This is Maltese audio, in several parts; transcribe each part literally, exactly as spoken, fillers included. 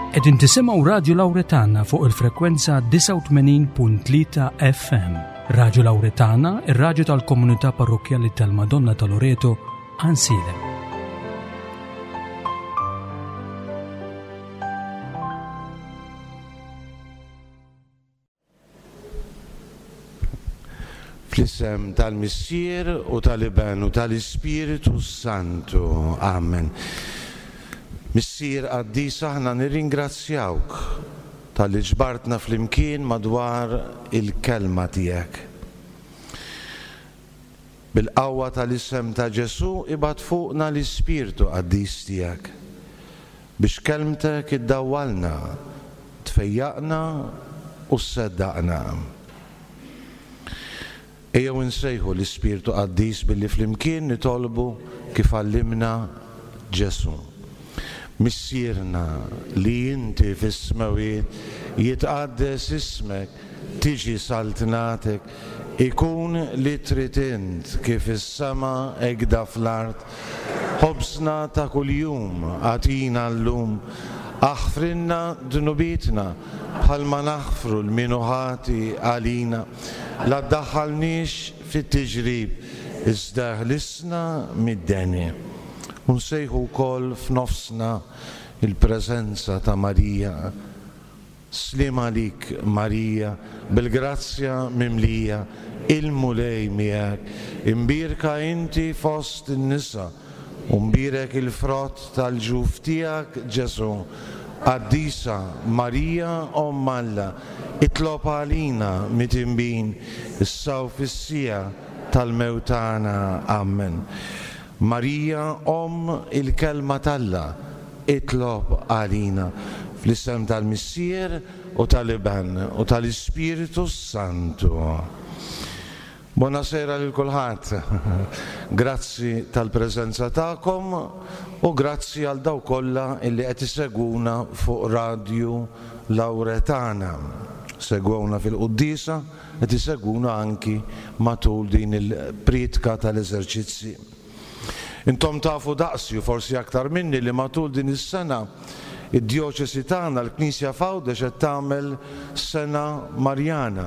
Qegħdin tisimgħu Radju Lawretana fuq il-frekwenza disgħa u tmenin punt tlieta F M. Radju Lawretana, ir-radju tal-komunità parrokkjali tal-Madonna ta' Loreto, Għajnsielem. Fl-isem tal-Missier u tal-Iben u tal-Ispiritu Santu. Amen. Missier qaddis, aħna nirringrazzjawk talli ġbartna flimkien madwar il-kelma tiegħek. Bil-qawwa tal-isem ta' Ġesù, ibgħat fuqna l-Ispirtu qaddis tiegħek biex kelmtek iddawwalna, tfejjaqna u sseddaqna. Ejjew insejħu l-Ispirtu Qaddis billi flimkien nitolbu kif għallimna Ġesù. Missierna li inti fis-smewwiet, jitqaddes ismek, tiġi saltnatek, ikun li trid int kif is-sema hekk fl-art. Ħobżna ta' kuljum agħtina llum, aħfrilna dnubietna bħalma naħfru lil min hu ħati għalina. La ddaħħalniex fit-tiġrib, iżda ħlisna mid-deni. U nsejħu wkoll f'nofsna il-preżenza ta' Marija. Sliem għalik, Marija, bil-grazzja mimlija, il-Mulej miegħek, imbierka inti fost in-nisa, u mbierek il-frott tal-ġuf tiegħek, Ġesù. Qaddisa Marija, Omm Alla, itlob għalina midinbin, issa u fis-siegħa tal-mewt tagħna. Amen. Marija, Omm il-Kelma t'Alla, itlob għalina. Fl-isem tal-Missier u tal-Iben u tal-Ispiritu Santu. Buonasera lil kulħadd. Grazzi tal-preżenza tagħkom u grazzi għal dawk kollha illi qed isegwuna fuq Radju Lawretana. Segwewna fil-quddiesa, qed isegwuna anki matul din il-priedka tal-eżerċizzi. Intom tafu daqsi u forsi aktar minni li matul din is-sena id-djoċesi tagħna, l-Knisja f'Għawdex, qed tagħmel sena Marjana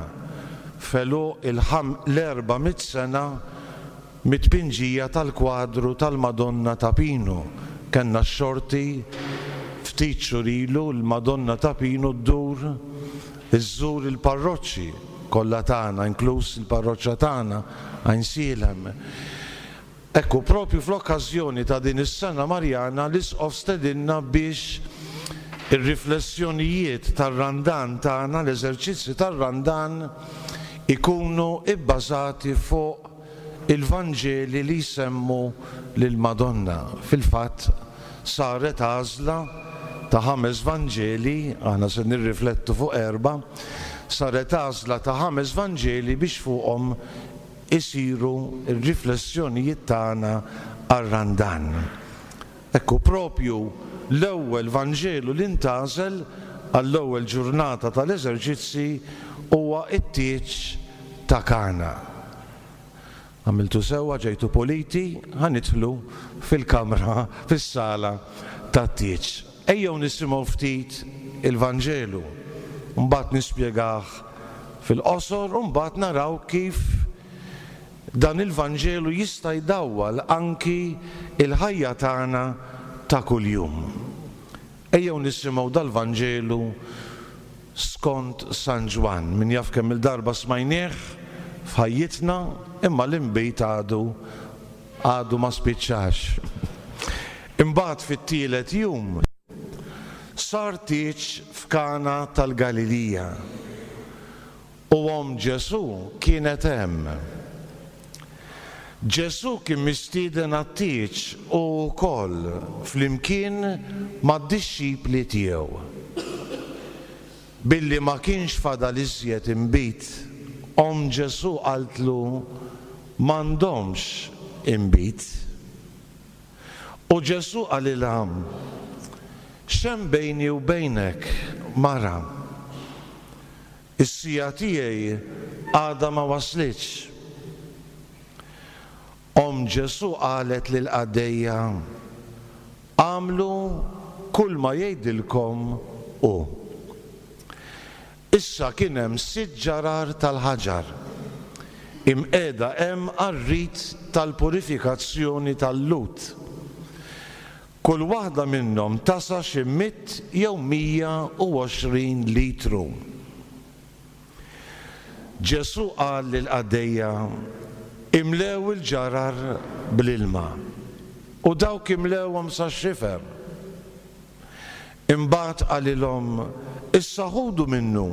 f'għeluq l-erba' mitt sena mit-tpinġija tal-kwadru tal-Madonna ta' Pinu. Kellna x-xorti ftit xhur ilu l-Madonna ta' Pinu ddur iżżur il-parroċċi kollha tagħna, inkluż il-parroċċa tagħna Għajnsielem. Ekku, propju fl-okkażjoni ta' din is-sena Marjana, l-Isqof stedinna biex ir-riflessjonijiet tar-Randan tagħna, l-eżerċizzi tar-Randan, ikunu ibbażati fuq il-Vanġeli li jsemmu lil-Madonna. Fil-fatt saret għażla ta' ħames Vanġeli, aħna se nirriflettu fuq erba', saret għażla ta' ħames Vanġeli biex fuqhom isiru r-riflessjonijiet tagħna għar-Randan. Ekku, propju l-ewwel Vanġelu li ntgħażel għall-ewwel ġurnata tal-eżerċizzi huwa it-tieġ ta' Kana. Għamiltu sewwa ġejtu puliti, ħa nidħlu fil-kamra, fis-sala tat-tieġ. Ejjew nisimgħu ftit il-Vanġelu, mbagħad nispjegah fil-qosor u mbagħad naraw kif dan il-Vanġelu jista' jdawwal anki il-ħajja tagħna ta' kuljum. Ejjew nisimgħu dal-Vanġelu skont San Ġwann. Min jaf kemm il-darba smajnieh f'ħajjitna, imma l-inbid għadu għadu ma spiċċax. Imbagħad fit-tielet jum sar tieġ f'Kana tal-Galilija u omm Ġesù kienet hemm. Ġesù kien mistieden għat-tieġ u wkoll flimkien mad-dixxipli tiegħu. Billi ma kienx fadal iżjed inbid, omm Ġesù qaltlu: "M'għandhomx inbid." U Ġesù qalilha: "X'hemm bejni u bejnek, mara? Is-siegħa tiegħi għadha ma waslitx." Omm Ġesù qalet lil qaddejja: "Agħmlu kull ma jgħidilkom hu. Issa kien hemm sitt ġarar tal-ħaġar imqiegħda hemm għar-rit tal-purifikazzjoni tal-Lhud. Kull waħda minnhom tasa' xi mitt jew mija u għoxrin litru. Ġesù qal lill-qaddejja, imlew il-ġarar bl-ilma, u dawk imlewhom sax-xifer. Imbagħad qalilhom, issa ħudu minnu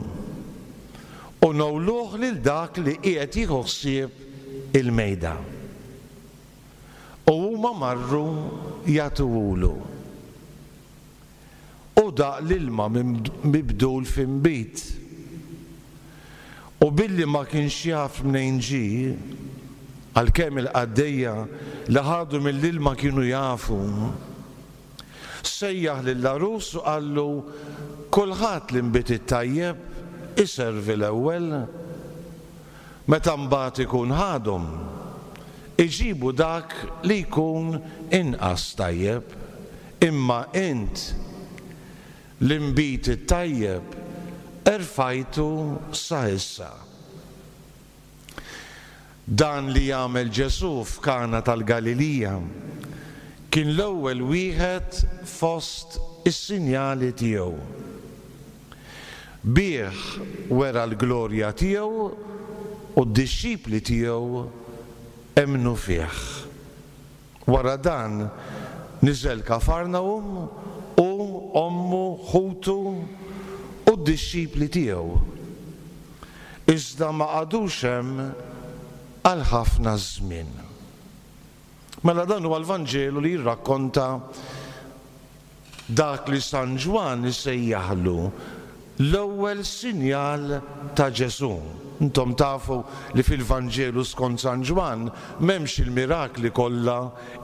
u nowluh lil dak li qiegħed jieħu ħsieb il-mejda. U huma marru jagħtuhulu. U daq l-ilma mibdul f'inbid. U billi ma kienx jaf mnejn ġie, għalkemm il-qaddejja li ħadu mill-ilma kienu jafu, sejjaħ lill-għarus u qallu, kulħadd l-inbid it-tajjeb iservi l-ewwel, meta mbagħad ikun ħadhom, iġibu dak li jkun inqas tajjeb, imma int l-inbid it-tajjeb erfajtu sa issa. Dan li jagħmel Ġesù f'Kana tal-Galilija kien l-ewwel wieħed fost is-sinjali tiegħu. Bih wera l-glorja tiegħu u d-dixxipli tiegħu emmnu fih. Wara dan niżel Kafarnahum u ommu, ħutu u d-dixxipli tiegħu. Iżda ma qagħdux hemm għal ħafna żmien. Mela dan huwa l-Vanġelu li jirrakkonta dak li San Ġwann isejjaħlu l-ewwel sinjal ta' Ġesù. Intom tafu li fil-Vanġelu skont San Ġwann m'hemmx il-mirakli kollha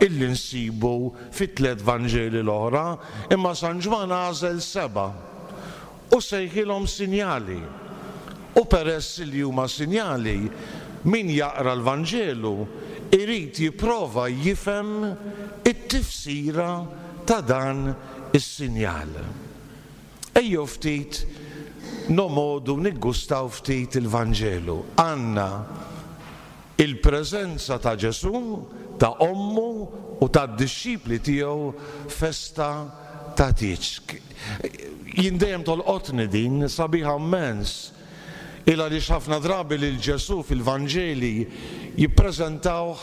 illi nsibu fit-tliet Vanġeli l-oħra, imma San Ġwann għażel seba' u sejħilhom sinjali. U peress li huma sinjali, min jaqra l-Vanġelu irid jipprova jifhem it-tifsira ta' dan is-sinjal. Ejjew ftit nomodu niggustaw ftit il-Vanġelu. Għandna il-preżenza ta' Ġesù, ta' ommu u tad-dixxipli tiegħu festa ta' tieġ. Jien dejjem tolqotni din, sabiħa immens. Il għaliex ħafna drabi lil Ġesù fil-Vanġeli jippreżentawh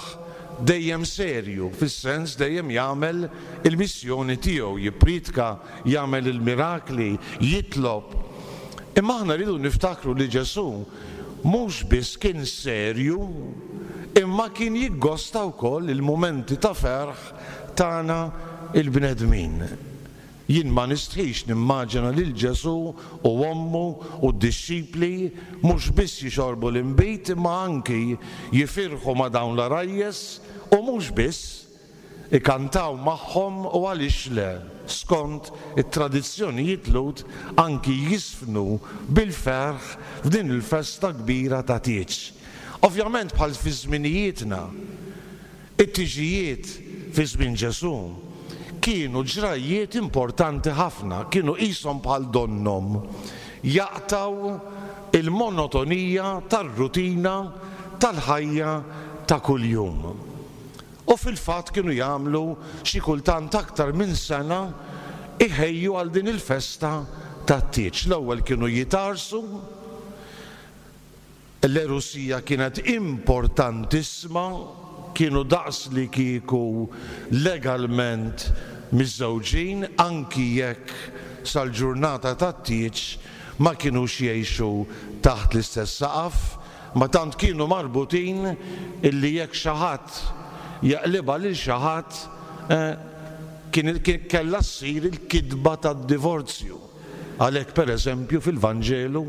dejjem serju, fis-sens dejjem jagħmel il-missjoni tiegħu, jippriedka, jagħmel il-mirakli, jitlob. Imma aħna rridu niftakru li Ġesù mhux biss kien serju, imma kien jiggosta wkoll il-mumenti ta' ferħ tagħna il-bnedmin. Jien ma nistħix nimmaġina lil Ġesù u ommu u d-dixxipli mhux biss jixorbu l-inbid imma anki jifirħu ma' dawn l-għarajjes u mhux biss ikantaw magħhom u għaliex le, skont it-tradizzjonijiet Lhud anki jisfnu bil-ferħ f'din il-festa kbira ta' tieġ. Ovvjament bħal fi żminijietna, it-tiġijiet fi żmien Ġesù kienu ġrajjiet importanti ħafna, kienu qishom bħal donnom jaqtaw il-monotonija tar-rutina tal-ħajja ta' kuljum. U fil-fatt kienu jagħmlu xi kultant aktar minn sena iħejju għal din il-festa tat-tieġ. L-ewwel kienu jitarsu, l-erusija kienet importantissima, kienu daqs li kieku legalment miżżewġin, anki jekk sal-ġurnata tat-tieġ ma kinux jgħixu taħt l-istess saqaf, ma tant kienu marbutin illi jekk xi ħadd jaqlibha lil xi ħadd kien kellha ssir il-kitba tad-divorzju. Għalhekk pereżempju fil-Vanġelu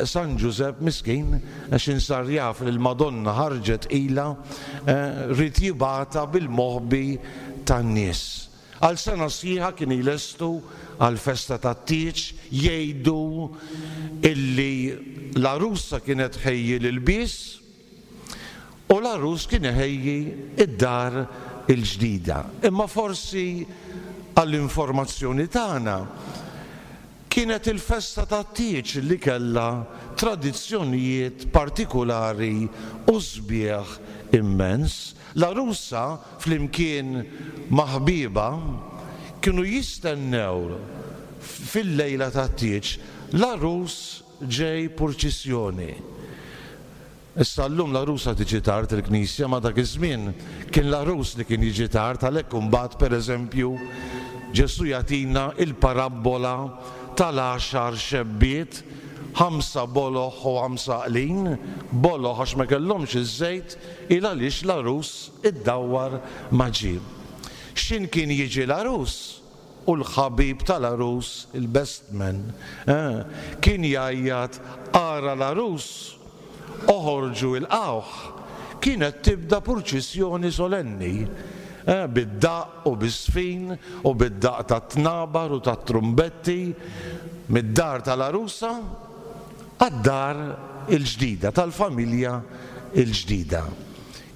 San Ġużepp miskin għax insar jaf li l-Madonna ħarġet ilha rid jibgħatha bil-moħbi tan-nies. Għal sena sħiħa kien jlestu għal festa tat-tieġ, jgħidu illi l-għarusa kienet ħejji l-ilbies u l-għarus kien iħejji id-dar il-ġdida. Imma forsi għall-informazzjoni tagħna Kienet il-festa tat-tieġ li kellha tradizzjonijiet partikulari u sbieħ immens. L-għarusa flimkien ma' ħbiebha kienu jistennew fil-lejla tat-tieġ l-għarus ġej purċissjoni. Issa llum l-għarusa tiġi tard il-knisja, ma dak iż-żmien kien l-għarus li kien jiġi tard, għalhekk imbagħad pereżempju Ġesù jagħtina il-parabbola tal-għaxar xebbiet, ħamsa boloh u ħamsa għaqlin, boloh għax ma kellhomx iż-żejt, il għaliex l-għarus iddawwar ma ġie. X'in kien jiġi l-għarus? U l-ħabib tal-għarus, il-best man, eh, kien jgħajjat ara l-għarus, oħorġu ilqgħuh. Kienet tibda purċissjoni solenni, eh, bid-daqq u bis-sfin u bid-daqq tat-tnabar u tat-trumbetti mid-dar tal-għarusa għad-dar il-ġdida, tal-familja il-ġdida.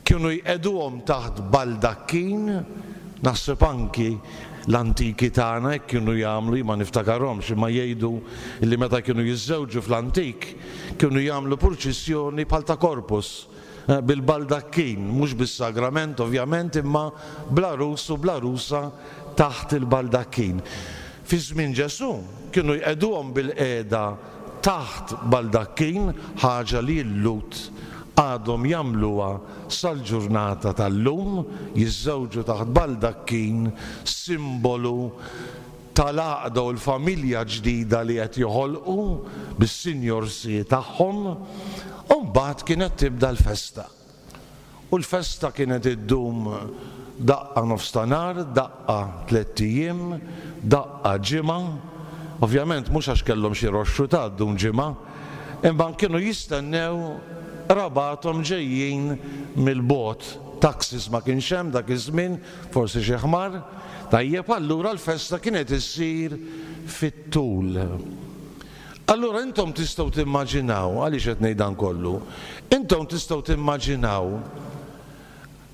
Kienu jqegħduhom taħt baldakkin, naħseb anki l-antiki tagħna hekk kienu jagħmlu, ma niftakarhomx, imma jgħidu li meta kienu jiżżewġu fl-antik kienu jagħmlu purċissjoni bħal ta' korpus, eh, bil-baldakkin, mhux bis-sagrament ovvjament, imma bl-għarus u bl-għarusa taħt il-baldakkin. Fi żmien Ġesù kienu jqegħduhom bil-qiegħda taħt baldakkin, ħaġa li l-Lhud għadhom jagħmluha sal-ġurnata tal-lum, jiżżewġu taħt baldakkin, simbolu tal-għaqda u l-familja ġdida li qed joħolqu bis-sinjorsi tagħhom, u mbagħad kienet tibda l-festa. U l-festa kienet iddum daqqa nofs ta' nhar, daqqa tlett ijiem, daqqa ġimgħa. Ovvjament mhux għax kellhom xi roxxu ta' ddum ġimgħa, imma kienu jistennew rabathom ġejjin mill-bogħod. Taxis ma kienx hemm dak iż-żmien, forsi xi ħmar. Tajjeb, allura l-festa kienet issir fit-tul. Allura intom tistgħu timmaġinaw, għaliex qed ngħid dan kollu, intom tistgħu timmaġinaw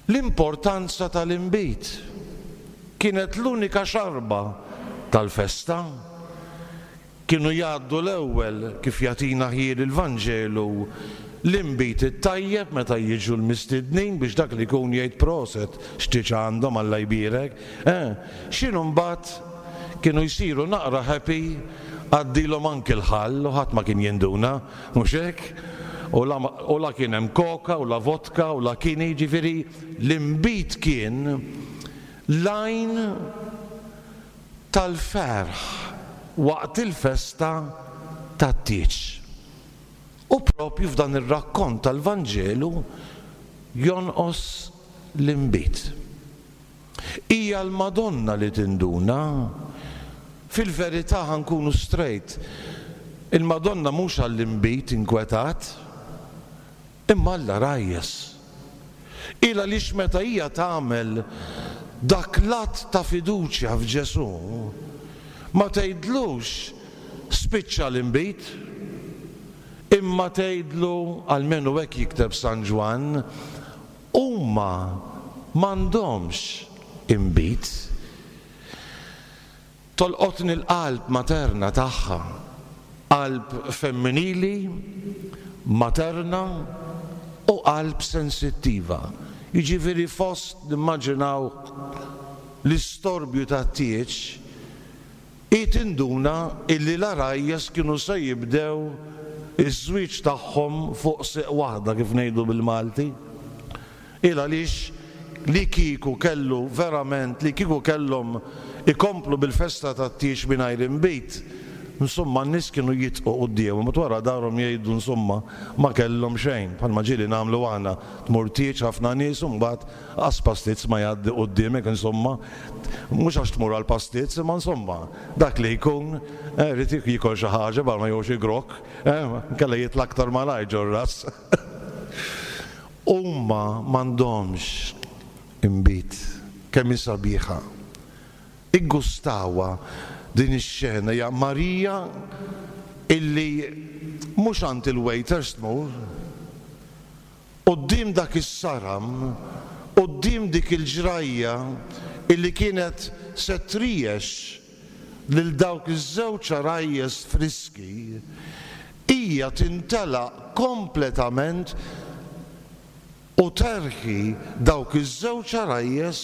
l-importanza tal-inbid. Kienet l-unika xarba tal-festa. Kienu jgħaddu l-ewwel, kif jagħtina ħjiel il-Vanġelu, l-inbid it-tajjeb meta jiġu l-mistednin biex dak li jkun jgħid proset x'tieġ għandhom Alla jbierek. Eh, x'inhu mbagħad kienu jsiru naqra happy, għaddilhom anki l-ħall u ħadd ma kien jinduna, mhux hekk? U la, u la kien hemm koka u la vodka u la kini, ġifieri l-inbid kien l-għajn tal-ferħ waqt il-festa tat-tieġ. U propju f'dan ir-rakkont tal-Vanġelu jonqos l-inbid. Hija l-Madonna li tinduna. Fil-verità ħankunu straight, il-Madonna mhux għall-inbid inkwetat, imma għall-għarajjes. Il għaliex meta hija tagħmel dak l-att ta' fiduċja f'Ġesù, ma tgħidlux spiċċa l-inbid, imma tgħidlu, almenu hekk jikteb San Ġwann, huma m'għandhomx inbid. Tolqotni l-qalb materna tagħha, qalb femminili, materna u qalb sensittiva. Jiġifieri fost nimmaġinaw l-istorbju tat-tieġ, hi tinduna illi l-għarajjes kienu se jibdew iż-żwieġ tagħhom fuq sieq waħda, kif ngħidu bil-Malti. Il għaliex li kieku kellu verament, li kieku kellhom ikomplu bil-festa tat-tieġ mingħajr inbid, insomma n-nies kienu jitqu quddiemhom, u wara darhom jgħidu insomma ma kellhom xejn, bħalma ġieli nagħmlu aħna, tmur tieġ ħafna nies u mbagħad qas pastizz ma jgħaddi quddiemek, insomma, mhux għax tmur għal pastizz, imma insomma dak li jkun, eh, irid jiekol xi ħaġa bħal ma jgħux igrok, eh, nkella jitla' aktar malajr ġor-ras. Huma m'għandhomx inbid, kemm hi sabiħa. Iggustawha din ix-xena, hija Marija illi mhux għand il-waiters tmur, quddiem dak is-saram, quddiem dik il-ġrajja illi kienet se triex lil dawk iż-żewġ għarajjes friski, hija tintelaq kompletament u terħi dawk iż-żewġ għarajjes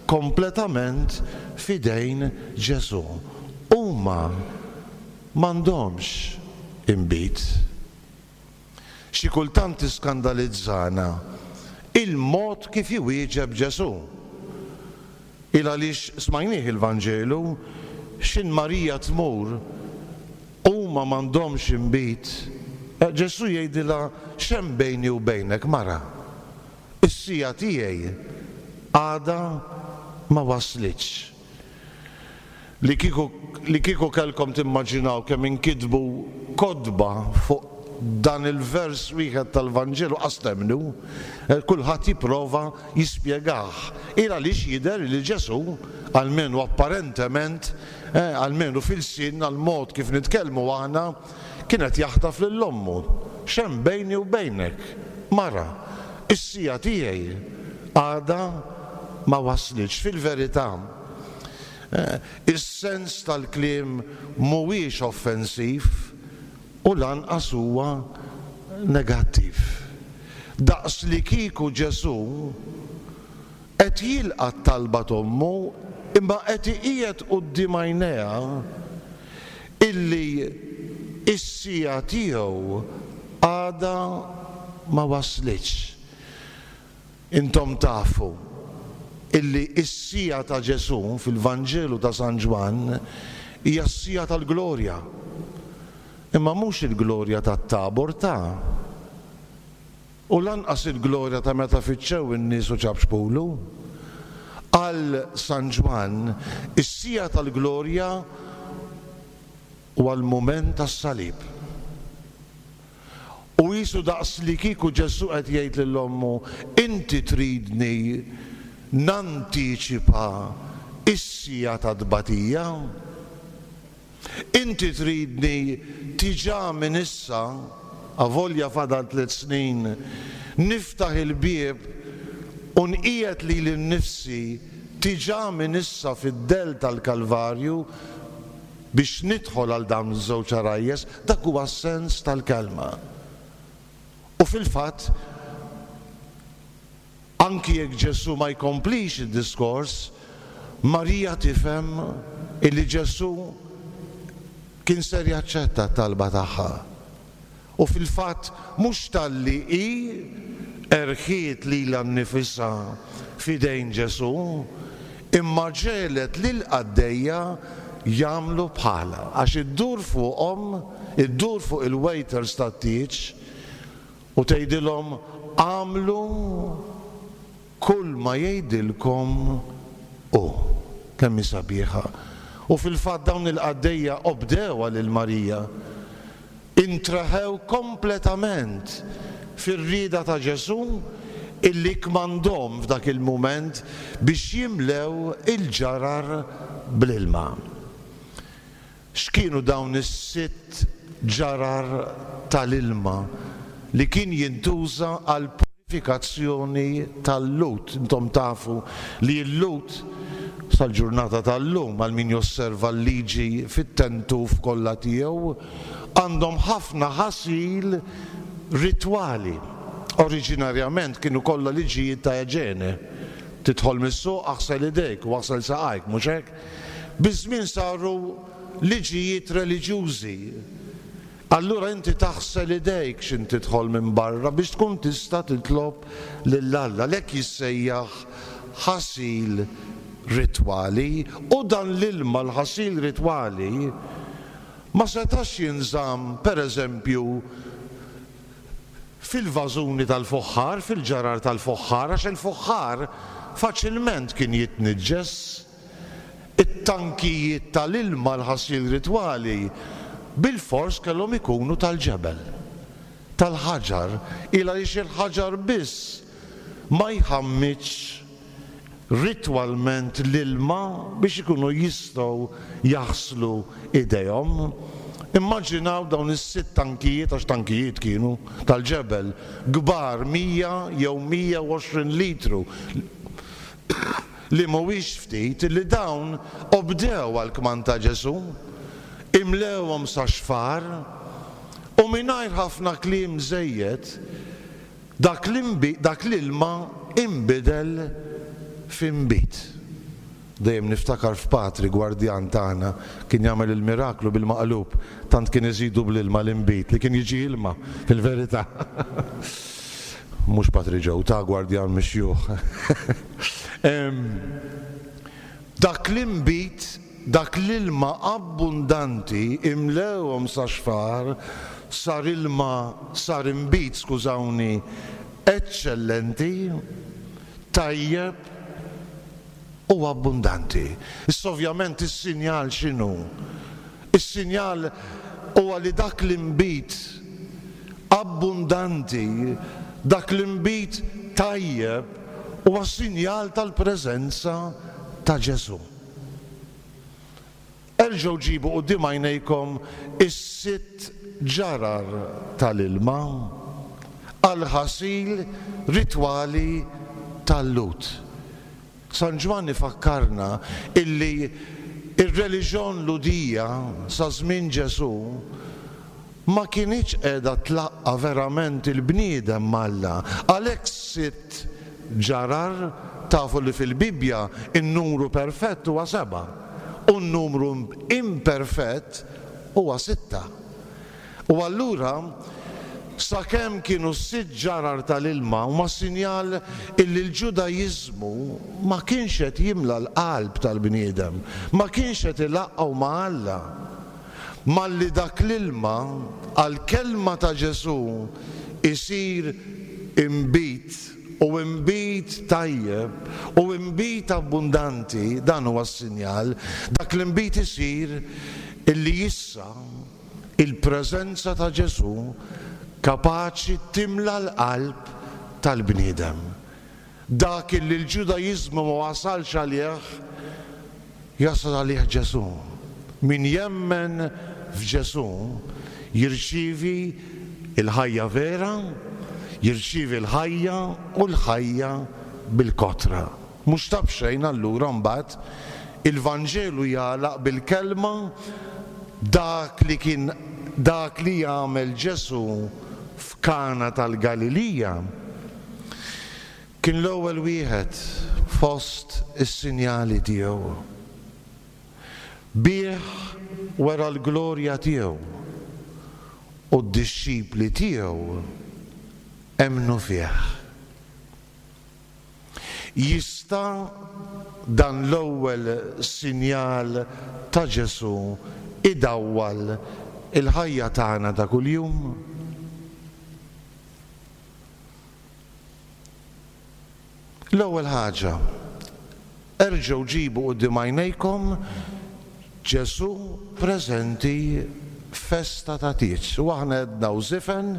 kompletament f'idejn Ġesù. Huma m'għandhomx inbid. Xi kultant tiskandalizzana il-mod kif iwieġeb Ġesù. Il għaliex smajnieh il-Vanġelu, x'in Marija tmur huma m'għandhomx inbid. Ġesù jgħidilha x'hemm bejni u bejnek mara. Is-sija tiegħi għadha ma waslitx. Li kieku, li kieku kellkom timmaġinaw kemm inkitbu kotba fuq dan il-vers wieħed tal-Vanġelu qas temmnu, kulħadd jipprova jispjegah. Il għaliex jidher li Ġesù, almenu apparentement, eh, almenu fil-sin, għal-mod kif nitkellmu aħna, kienet jaħtaf lil ommu. X'hemm bejni u bejnek, mara, is-sija tiegħi għadha ma waslitx. Fil-verità, eh, is-sens tal-kliem mhuwiex offensiv u lanqas huwa negattiv. Daqs li kieku Ġesù qed jilqa' t-talba t'ommu imma qed iqiegħed quddiem għajnejha illi is-sija tiegħu għadha ma waslitx. Intom tafu illi is-sija ta' Ġesù fil-Vanġelu ta' San Ġwann hija s-sija tal-glorja. Imma mhux il-glorja tat-Tabor ta' u lanqas il-glorja ta' meta fittxew in-nies u ċapċpulu. Għal San Ġwann is-sija tal-glorja huwa l-mument tas-salib. U jisu daqs li kieku Ġesù qed jgħid lil ommu, inti tridni nantiċipa is-sija ta' tbatija? Inti tridni tiġa minn issa, avolja fadal tliet snin, niftaħ il-bieb u nqiegħed lili nnifsi tiġa minn issa fid-dell tal-Kalvarju biex nidħol għal dawn iż-żewġ għarajjes? Dak huwa s-sens tal-kelma. U fil-fatt, anki jekk Ġesù ma jkomplix id-diskors, Marija tifhem illi Ġesù kien ser jaċċetta t-talba tagħha. U fil-fatt mhux talli hi erħiet lilha nnifisha f'idejn Ġesù, imma ġelet lil qaddejja jagħmlu bħalha, għax iddur fuqhom, iddur fuq il-waiters tat-tieġ u tgħidilhom għamlu kull ma jgħidilkom hu. Kemm hi sabiħa. U fil-fatt dawn il-qaddejja obdewha lil Marija, intraħew kompletament fir-rieda ta' Ġesù illi kmandhom f'dak il-mument biex jimlew il-ġarar bl-ilma. X'kienu dawn is-sitt ġarar tal-ilma li kien jintuża għal purifikazzjoni tal-Lut? Intom tafu li l-Lut sal-ġurnata tal-lum, għal min josserva l-liġi fit-tentuf kollha tiegħu, għandhom ħafna ħasil ritwali. Oriġinarjament kienu kollha liġijiet ta' eġene. Tidħol mis-suq, aħsel idejk u aħsel saqajk, mhux hekk? Biż-żmien saru liġijiet reliġjużi. Allura inti taħsel idejk x'in tidħol minn barra biex tkun tista' titlob lil Alla. Lek jissejjaħ ħasil ritwali, u dan l-ilma l-ħasil ritwali ma setax jinżamm pereżempju fil-vażuni tal-foħħar, fil-ġarar tal-foħħar, għax il-foħħar faċilment kien jitniġġes. It-tankijiet tal-ilma l-ħasil ritwali bil-fors kellhom ikunu tal-ġebel, tal-ħaġar, il għaliex il-ħaġar biss ma jħammitx ritwalment l-ilma biex ikunu jistgħu jaħslu idejhom. Immaġinaw dawn is-sitt tankijiet, għax tankijiet kienu tal-ġebel, kbar mija jew mija u għoxrin litru, li mhuwiex ftit li dawn obdew għall-kmand ta' Ġesù, imlewhom sa xfar u mingħajr ħafna kliem żejjed dak l-ilma inbidel f'inbid. Dejjem niftakar f'Patri gwardjan tagħna kien jagħmel il-miraklu bil-maqlub, tant kien iżidu bl-ilma l-inbid li kien jiġi ilma fil-verità. Mhux Patri Ġew, ta' gwardjan mixjuħ. Dak l-inbid, dak l-ilma abbundanti imlewhom sa xfar, sar ilma, sar inbid, skużawni, eċċellenti, tajjeb u abbundanti. Issa ovvjament is-sinjal x'inhu? Is-sinjal huwa li dak l-inbid abbundanti, dak l-inbid tajjeb, huwa sinjal tal-preżenza ta' Ġesù. Erġgħu ġibu quddiem għajnejkom is-sitt ġarar tal-ilma għall-ħasil ritwali tal-Lhud. San Ġwann ifakkarna illi ir-reliġjon Lhudija sa żmien Ġesù ma kinitx qiegħda tlaqqa verament il-bniedem m'Alla. Għalhekk sitt ġarar, tafu li fil-Bibbja in-numru perfett huwa seba' u n-numru imperfett huwa sitta. U allura sakemm kienu sitt ġarar tal-ilma huma sinjal illi l-Ġudaiżmu ma kienx qed jimla l-qalb tal-bniedem, ma kienx qed ilaqqgħu ma' Alla. Malli dak l-ilma għall-kelma ta' Ġesù isir inbid u inbid tajjeb u inbid abbundanti, dan huwa s-sinjal, dak l-inbid isir illi issa il-preżenza ta' Ġesù kapaċi timla l-qalb tal-bniedem. Dak illi l-Ġudaiżmu ma wasalx għalih, jasal għalih Ġesù. Min jemmen f'Ġesù jirċievi l-ħajja vera, jirċievi l-ħajja u l-ħajja bil-kotra. Mhux ta' b'xejn allura mbagħad il-Vanġelu jagħlaq bil-kelma dak li kien dak li jagħmel Ġesù f'Kana tal-Galilija kien l-ewwel wieħed fost is-sinjali tiegħu. Bih wera l-glorja tiegħu u d-dixxipli tiegħu emmnu fih. Jista' dan l-ewwel sinjal ta' Ġesù idawwal il-ħajja tagħna ta' kuljum? L-ewwel ħaġa, erġgħu ġibu quddiem għajnejkom Ġesù preżenti festa ta' tieġ. U aħna għedna u żifen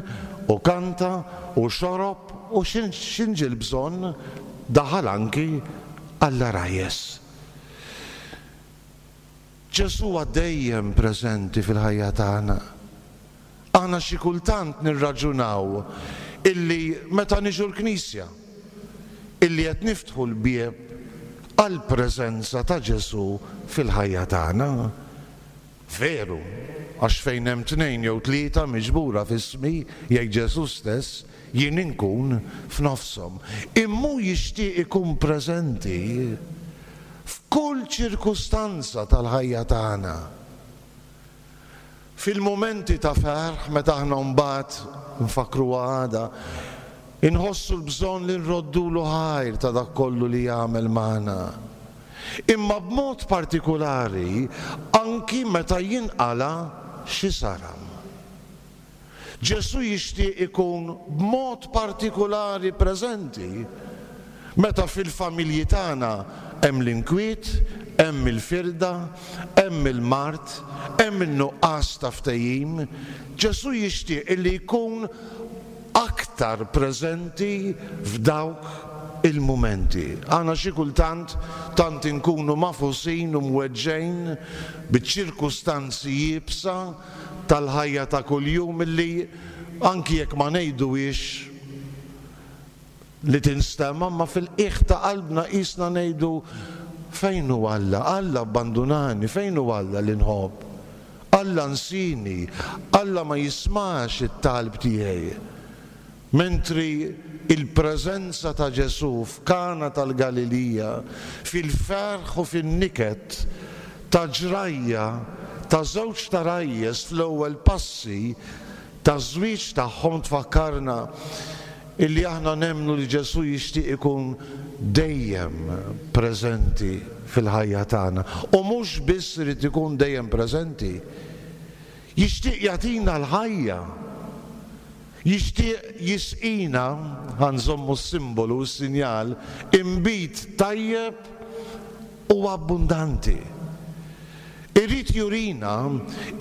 u kanta u xorob u x'inġi l-bżonn daħal anki għall-għarajjes. Ġesù huwa dejjem preżenti fil-ħajja tagħna. Aħna xi kultant nirraġunaw illi meta niġu l-Knisja illi qed niftħu l-bieb għall-preżenza ta' Ġesù fil-ħajja tagħna. Veru, għax fejn hemm tnejn jew tlieta miġbura f'ismi, jgħid Ġesù stess, jien inkun f'nofshom. Imma hu jixtieq ikun preżenti f'kull ċirkustanza tal-ħajja tagħna. Fil-mumenti ta' ferħ meta aħna mbagħad nfakru għada, inħossu l-bżonn li nroddulu ħajr ta' dak kollu li jagħmel magħna. Imma b'mod partikulari anki meta jinqala xi saram. Ġesù jixtieq ikun b'mod partikulari preżenti meta fil-familji tagħna hemm l-inkwiet, hemm il-firda, hemm il-mard, hemm in-nuqqas ta' ftehim. Ġesù jixtieq illi jkun aktar preżenti f'dawk il-mumenti. Aħna xi kultant tant inkunu mafusin u mweġġejn biċ-ċirkustanzi iebsa tal-ħajja ta' kuljum illi anki jekk ma ngħiduhiex li tinstema', ma fil-qiegħ ta' qalbna qisna ngħidu fejn hu Alla? Alla abbandunani, fejn hu Alla li nħobb? Alla nsini, Alla ma jismax it-talb tiegħi. Mentri il-preżenza ta' Ġesù f'Kana tal-Galilija, fil-ferħ u fin-niket ta' ġrajja ta' żewġ tarajjes fl-ewwel passi ta' żwieġ tagħhom tfakkarna illi aħna nemmnu li Ġesù jixtieq ikun dejjem preżenti fil-ħajja tagħna. U mhux biss irid ikun dejjem preżenti, jixtieq jagħtina l-ħajja, jixtieq jisqina, ħa nżommu s-simbolu, s-sinjal, inbid tajjeb u abbundanti. Irid jurina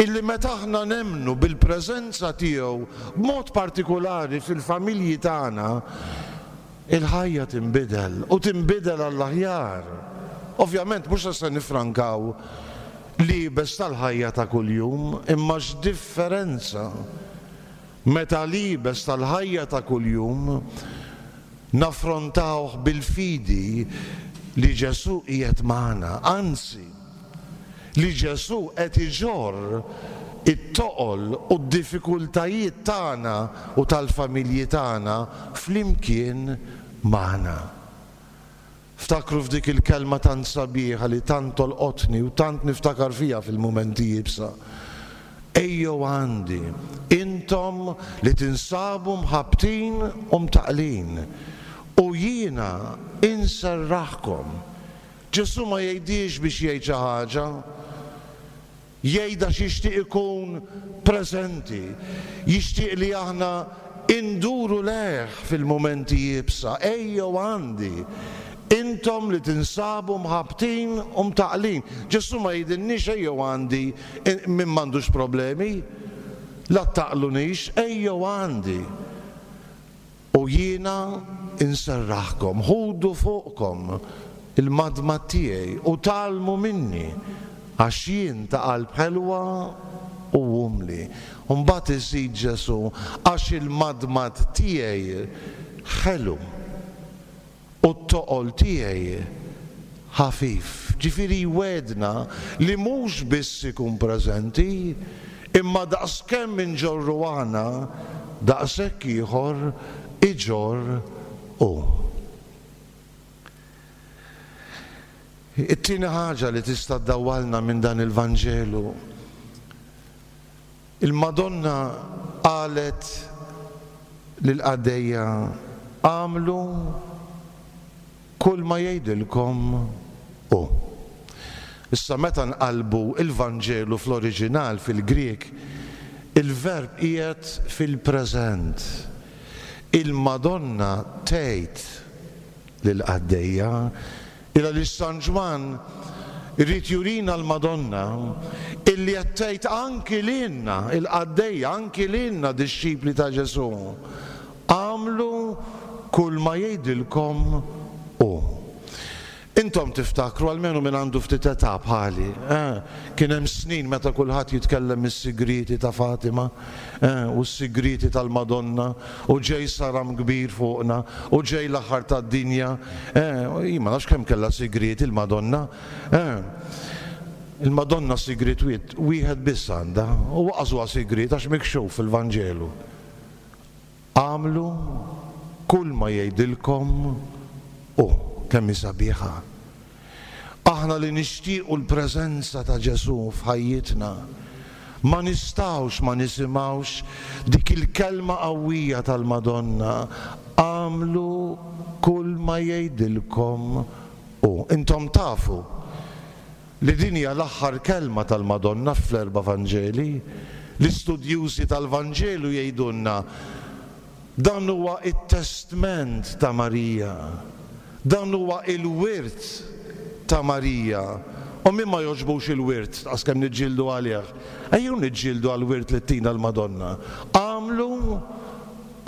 illi meta aħna nemmnu bil-preżenza tiegħu b'mod partikolari fil-familji tagħna, il-ħajja tinbidel u tinbidel għall-aħjar. Ovvjament mhux se nifrankaw l-iebes tal-ħajja ta' kuljum, imma x'differenza meta l-iebes tal-ħajja ta' kuljum naffrontawh bil-fidi li Ġesù qiegħed magħna, anzi li Ġesù qed iġorr it-toqol u d-diffikultajiet tagħna u tal-familji tagħna flimkien magħna. Ftakru f'dik il-kelma tant sabiħa li tant tolqotni u tant niftakar fija fil-mumenti iebsa. Ejjew għandi, intom li tinsabu mħabbtin u mtaqlin, u jiena inserraħkom. Ġesù ma jgħidix biex jgħid xi ħaġa, jgħidha x'jixtieq ikun preżenti, jixtieq li aħna induru lejh fil-mumenti iebsa. Ejjew għandi, intom li tinsabu mħabbtin u mtaqlin. Ġesù ma jgħidilniex ejjew għandi min m'għandux problemi, la taqlunix, ejjew għandi u jiena inserraħkom, ħudu fuqkom il-madmad tiegħi u tgħallmu minni, għax jien ta' qalb ħelwa u umli. U mbagħad iżid Ġesù, għax il-madmad tiegħi ħelu u t-toqol tiegħi ħafif. Ġifieri jwedna li mhux biss ikun preżenti, imma daqskemm inġorru aħna, daqshekk ieħor iġorr hu. It-tieni ħaġa li tista' ddawwalna minn dan il-Vanġelu, il-Madonna qalet lill-qaddejja, għamlu kull ma jgħidilkom hu. Issa meta nqalbu il-Vanġelu fl-oriġinal fil-Grieg, il-verb qiegħed fil-preżent. Il-Madonna tgħid lill-qaddejja, illa li San Ġwann irid jurina l-Madonna illi qed tgħid anki lilna il-qaddejja, anki lilna dixxipli ta' Ġesù, għamlu kull ma jgħidilkom hu. Intom tiftakru, almenu minn għandu ftit età bħali, eh, kien hemm snin meta kulħadd jitkellem is-sigrieti ta' Fatima, eh, u s-sigrieti tal-Madonna, u ġej saram kbir fuqna, u ġej l-aħħar tad-dinja, eh, jien ma nafx kemm kellha sigrieti il-Madonna. Eh. Il-Madonna sigriet wieħed biss għandha, u waqas huwa sigriet għax mikxuf fil-Vanġelu. Għamlu kull ma jgħidilkom hu. Kemm hi sabiħa. Aħna li nixtiequ l-preżenza ta' Ġesù f'ħajjitna, ma nistgħux ma nisimgħux dik il-kelma qawwija tal-Madonna, għamlu kull ma jgħidilkom hu. Intom tafu li din hija l-aħħar kelma tal-Madonna fl-erba' Vanġeli. L-istudjużi tal-Vanġelu jgħidulna dan huwa it-testment ta' Marija, dan huwa il-wirt ta' Marija. U min ma jogħġbux il-wirt, għax kemm niġġieldu għalih, ejjew niġġieldu għall-wirt li tina l-Madonna. Għamlu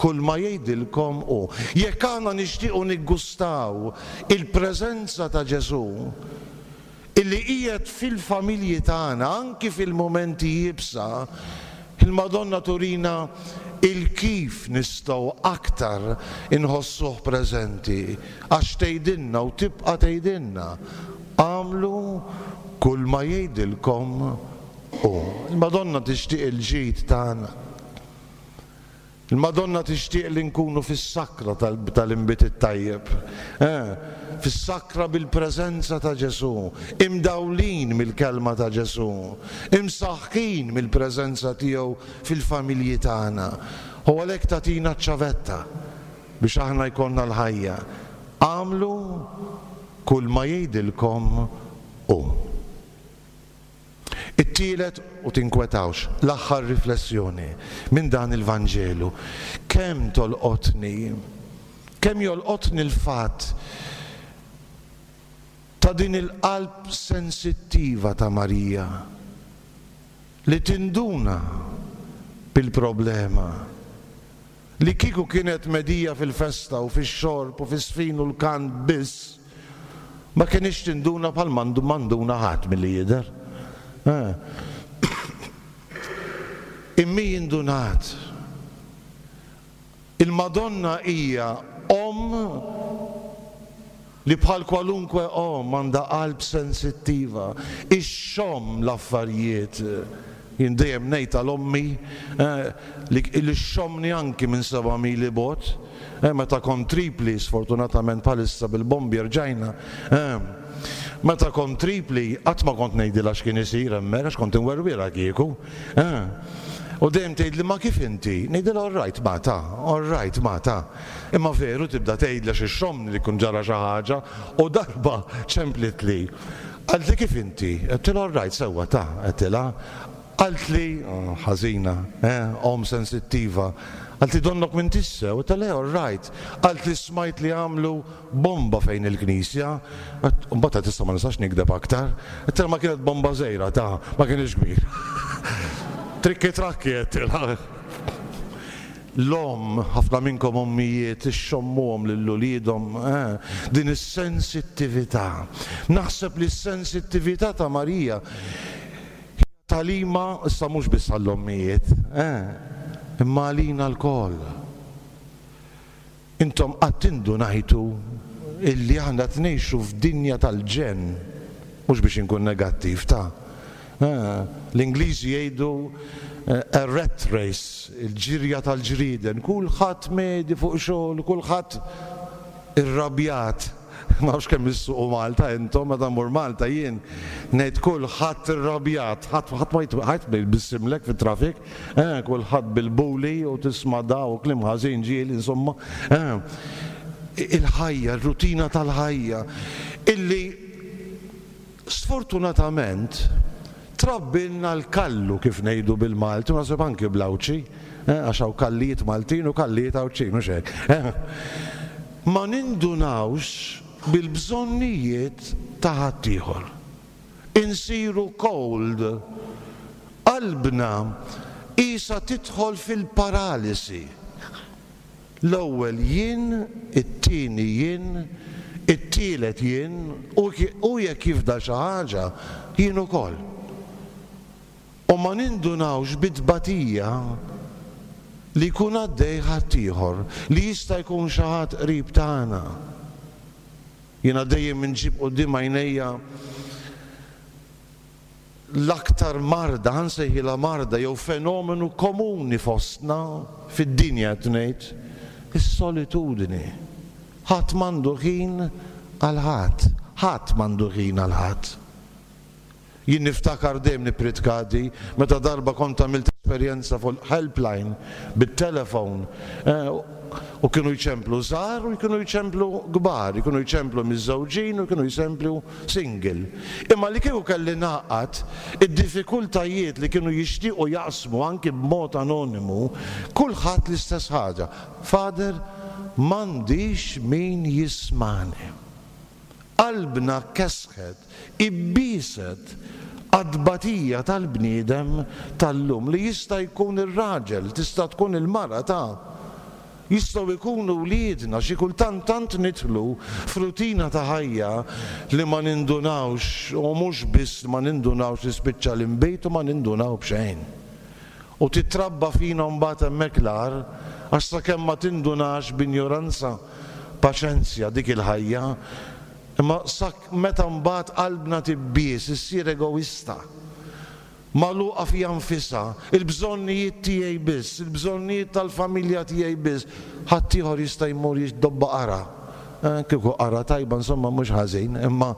kull ma jgħidilkom hu. Jekk aħna nixtiequ niggustaw il-preżenza ta' Ġesù illi qiegħed fil-familji tagħna anki fil-mumenti iebsa, Il-Madonna turina il-kif nistgħu aktar inħossuh preżenti, għax tgħidilna u tibqa' tgħidilna, agħmlu kull ma jgħidilkom hu. Il-Madonna tixtieq il-ġid tagħna. Il-Madonna tixtieq li nkunu fis-sakra tal-inbid it-tajjeb, eh, fis-sakra bil-preżenza ta' Ġesù, imdawlin mill-kelma ta' Ġesù, imsaħħin mill-preżenza tiegħu fil-familji tagħna. U għalhekk tagħtina ċ-ċavetta biex aħna jkollna l-ħajja. Agħmlu kull ma jgħidilkom hu. It-tielet, u tinkwetawx, l-aħħar riflessjoni minn dan il-Vanġelu. Kemm tolqotni, kemm jolqotni l-fatt ta' din il-qalb sensittiva ta' Marija li tinduna bil-problema, li kieku kienet medija fil-festa u fix-xorb u fis-sfin u l-kant biss, ma kienx tinduna bħal mandu manduna ħadd milli jidher. Immi jindunat. Il-Madonna hija omm li bħal kwalunkwe omm għandha qalb sensittiva, ixxomm l-affarijiet. Jien dejjem ngħid għal ommi li xxommni anki minn seba' mili bogħod, meta kont Tripli, sfortunatament bħalissa bil-bombi rġajna. Meta kont Tripli, qatt ma kont ngħidilha x'kien isir hemmhekk, għax kont inwerwirha kieku. U dejjem tgħidli ma kif inti? Ngħidilha all right ma ta, all right ma ta. Imma veru tibda tgħidli għax ixxommni li jkun ġara xi ħaġa, u darba ċemplitli. Qaltli kif inti? Għedtilha all right sewwa ta, għedtilha. Qaltli, ħażina, omm sensittiva. Qaltli donnok m'intix sew, għedtilha all right. Qaltli smajt li għamlu bomba fejn il-knisja. Mbagħad qed issa ma nistax nikdeb aktar. Għedtilha ma kienet bomba żgħira ta, ma kienx kbir. Trikki trakki għedtilha. L-omm, ħafna minnkom ommijiet ixxommuhom lil uliedhom, din is-sensittività. Naħseb li s-sensittività ta' Marija talima issa mhux biss għall-ommijiet, imma għalina lkoll. Intom qatt indunajtu illi aħna tnejxu f'dinja tal-ġenn, mhux biex inkun negattiv ta'. L-Ingliżi jgħidu a rat race, il-ġirja tal-ġrieden, kulħadd medi fuq xogħol, kulħadd irrabjat. Ma nafx kemm issuqu Malta intom, meta mmur Malta jien ngħid kulħadd irrabjat, ħadd ħadd ma ħadd ma jbissimlek fit-traffic, kulħadd bil-buli u tisma' da u kliem ħażin ġieli, insomma. Il-ħajja, ir-rutina tal-ħajja, illi sfortunatament trabbilna l-kallu kif ngħidu bil-Malti, u naħseb anki bl-Għawdxi, għax hawn kallijiet Maltin u kallijiet Għawdxin, mhux hekk. Ma nindunawx bil-bżonnijiet ta' ħaddieħor. Insiru cold. Qalbna qisha tidħol fil-paralisi. L-ewwel jien, it-tieni jien, it-tielet jien, u jekk jifdal xi ħaġa, jien ukoll. U ma nindunawx bit-tbatija li jkun għaddej ħaddieħor, li jista' jkun xi ħadd qrib tagħna. Jiena dejjem inġib quddiem għajnejja l-aktar marda, ħansejħilha marda jew fenomenu komuni fostna fid-dinja qed ngħid, is-solitudni. Ħadd m'għandu ħin għal ħadd, ħadd m'għandu ħin għal ħadd. Jien niftakar dejjem nippritkadi meta darba kont għamilt esperjenza fuq helpline bit-telefon, u kienu jċemplu żgħar u kienu jċemplu kbar, kienu jċemplu miżżewġin u kienu jċemplu single. Imma li kieku kelli naqgħad id-diffikultajiet li kienu jixtiequ jaqsmu anki b'mod anonimu, kulħadd l-istess ħaġa. Father, m'għandix min jismani. Qalbna kesħet, ibbiset għad-tbatija tal-bniedem tal-lum li jista' jkun ir-raġel, tista' tkun il-mara ta' jistgħu jkunu wliedna, xi kultant tant nidħlu f'rutina ta' ħajja li ma nindunawx, u mhux biss ma nindunawx li spiċċa l-inbejt u ma nindunaw b'xejn. U titrabba fina mbagħad hemmhekk l-agħar, għax sakemm ma tindunax b'injoranza, paċenzja dik il-ħajja, imma sak meta mbagħad qalbna tibbies, issir egoista, magħluqa fija nfisha, il-bżonnijiet tiegħi biss, il-bżonnijiet tal-familja tiegħi biss, ħaddieħor jista' jmur jiddobba qara. Eh, kieku qara tajba insomma mhux ħażin, imma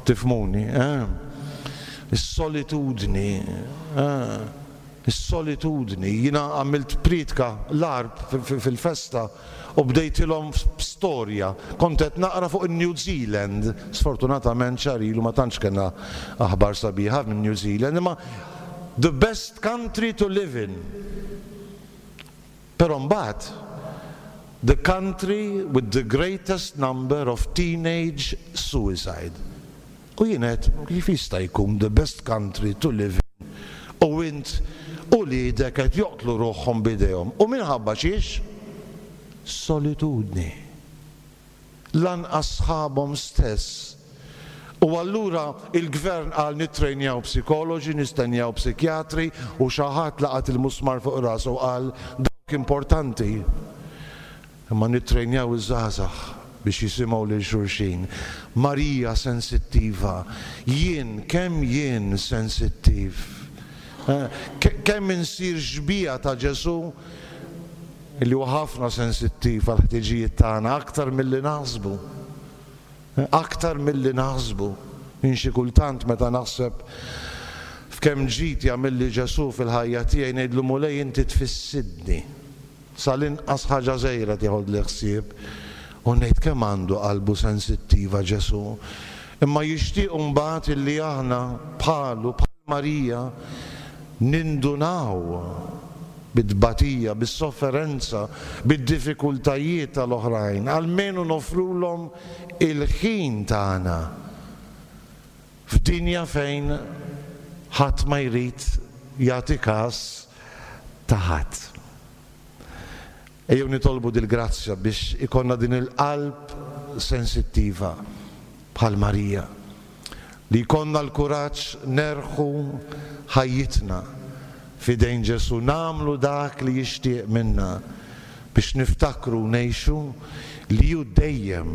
tifhmuni. Eh? Is-solitudni, eh? Is-solitudni. Jiena għamilt priedka l-Għarb fil-festa u bdejtilhom storja. Kont qed naqra fuq in-New Zealand. Sfortunatament xahar ilu ma tantx kellna aħbar sabiħa minn New Zealand, imma the best country to live in. Però mbagħad the country with the greatest number of teenage suicide. U jien għedt, kif jista' jkun the best country to live in u int u uliedek qed joqtlu ruħhom b'idejhom? U minħabba xiex? Solitudni. Lanqas sħabhom stess. U allura il-gvern qal nittrejnjaw psikoloġi, nittrejnjaw psikjatri, u xi ħadd laqat il-musmar fuq rasu u qal dawk importanti. Imma nittrejnjaw iż-żgħażagħ biex jisimgħu lil xulxin. Marija sensittiva, jien kemm jien sensittiv. Kemm insir xbieha ta' Ġesù li huwa ħafna sensittiv għal ħtiġijiet tagħna aktar milli naħsbu. Aktar milli naħsbu. Jien xi kultant meta naħseb f'kemm ġid jagħmilli Ġesù fil-ħajja tiegħi ngħidlu Mulej inti tfissidni. Sal-inqas ħaġa żgħira tieħodli ħsieb. U ngħid kemm għandu qalbu sensittiva Ġesù. Imma jixtieq mbagħad illi aħna bħalu bħal Marija nindunaw bit-tbatija, bis-sofferenza, bid-diffikultajiet tal-oħrajn, almenu nofrulhom il-ħin tagħna f'dinja fejn ħadd ma jrid jagħti każ ta' ħadd. Ejjew nitolbu dil-grazzja biex ikollna din il-qalb sensittiva bħal Marija, li jkollna l-kuraġġ nerħu ħajjitna f'idejn Ġesù, nagħmlu dak li jixtieq minna biex niftakru ngħixu li hu dejjem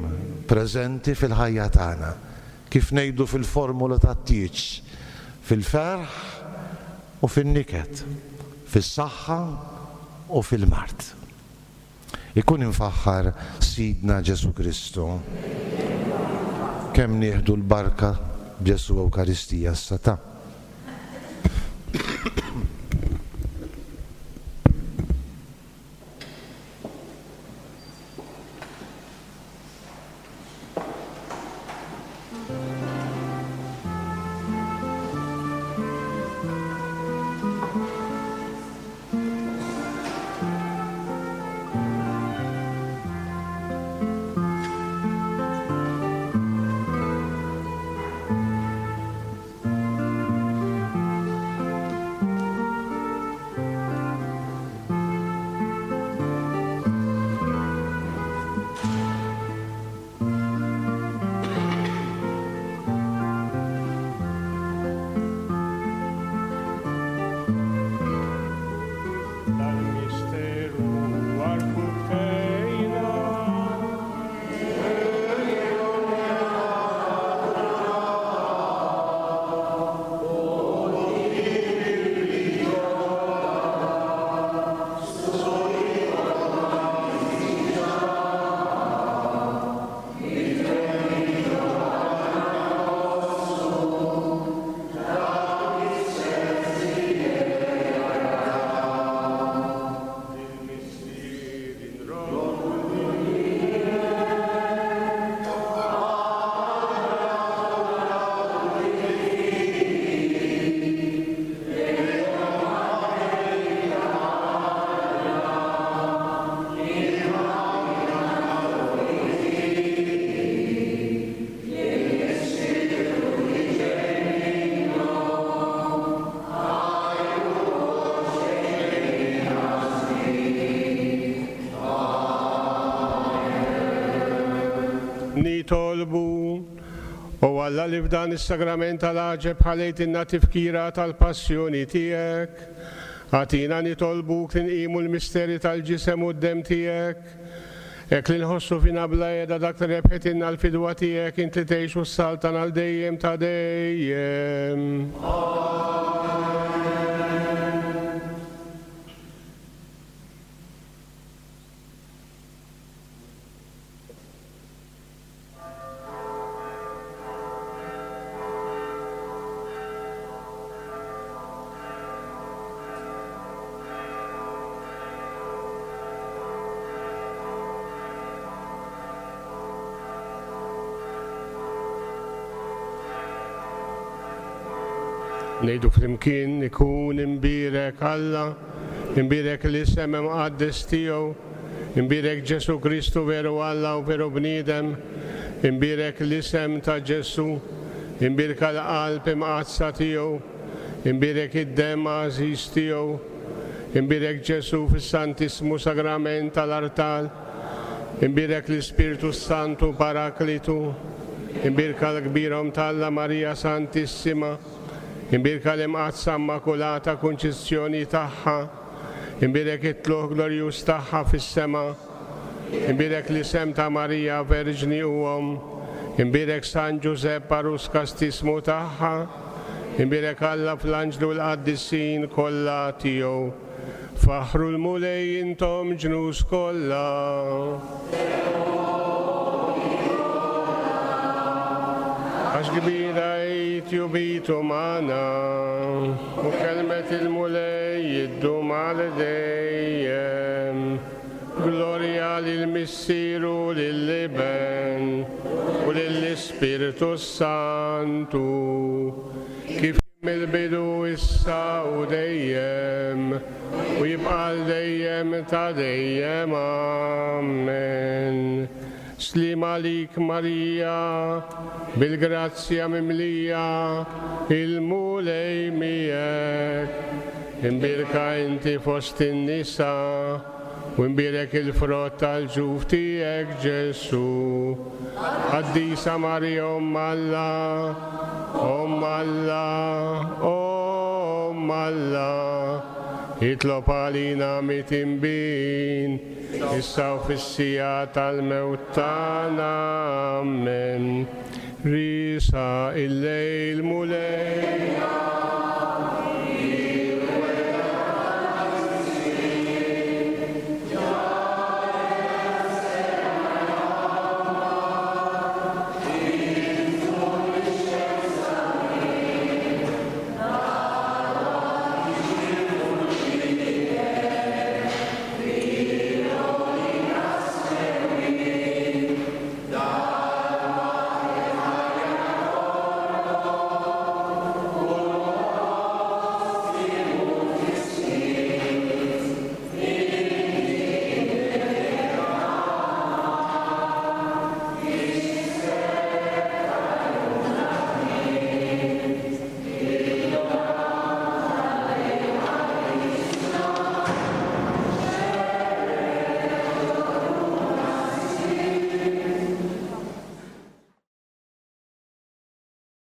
preżenti fil-ħajja tagħna, kif ngħidu fil-formula tat-tieġ, fil-ferħ u fin-niket, fis-saħħa u fil-mard. Ikun imfaħħar Sidna Ġesù Kristu. Kemm nieħdu l-barka Ġesù Ewkaristija s-sata. Nitolbu, o Alla li f'dan is-sagrament tal-għaġeb ħalejtilna tifkira tal-passjoni tiegħek, Agħtina nitolbuk li nqimu l-misteri tal-ġisem u d-demm tiegħek, hekk li nħossu fina bla qiegħda dak li rebħitilna l-fidwa tiegħek int li tgħix u s-saltan għal dejjem ta' dejjem. Ngħidu flimkien ikun imbierek Alla, imbierek l-isem imqaddes tiegħu, imbierek Ġesu Kristu veru Alla u veru bniedem, imbierek l-isem ta' Ġesu, imbierka l-qalb imqaddsa tiegħu, imbierek id-demm għażiż tiegħu, imbierek Ġesu fis-Santissmu Sagrament tal-Artal, imbierek l-Ispirtu Santu Paraklitu, imbierka l-kbirhom t'Alla Marija Santissima, imbierka l-imqaddsa Immakulata Kunċizzjoni tagħha, imbierek it-tluq glorjuż tagħha fis-sema, imbierek l-isem ta' Marija Verġni u Omm, imbierek San Ġużepp għarus kastismu tagħha, imbierek Alla fl-anġlu l-qaddisin kollha tiegħu. Faħru l-Mulej intom ġnus kollha. Għax kbira hi tjubitu magħna, u kelmet il-Mulej iddum għal dejjem. Glorja lill-Missier u lill-Iben u lill-Ispirtu Santu, kif mill-bidu issa u dejjem, u jibqa' għal dejjem ta' dejjem. Amen. Slim għalik Marija, bil-grazzja mimlija, il-Mulej miegħek. Imbierka inti fost in-nisa, u imbierek il-frott tal-ġuf tiegħek Ġesu. Qaddisa Marija Omm Alla, Omm Alla, Omm Alla, itlob għalina mitinbin, issa u fis-siegħa tal-mewt tagħna. Amen. Risa il-lejl Mulej,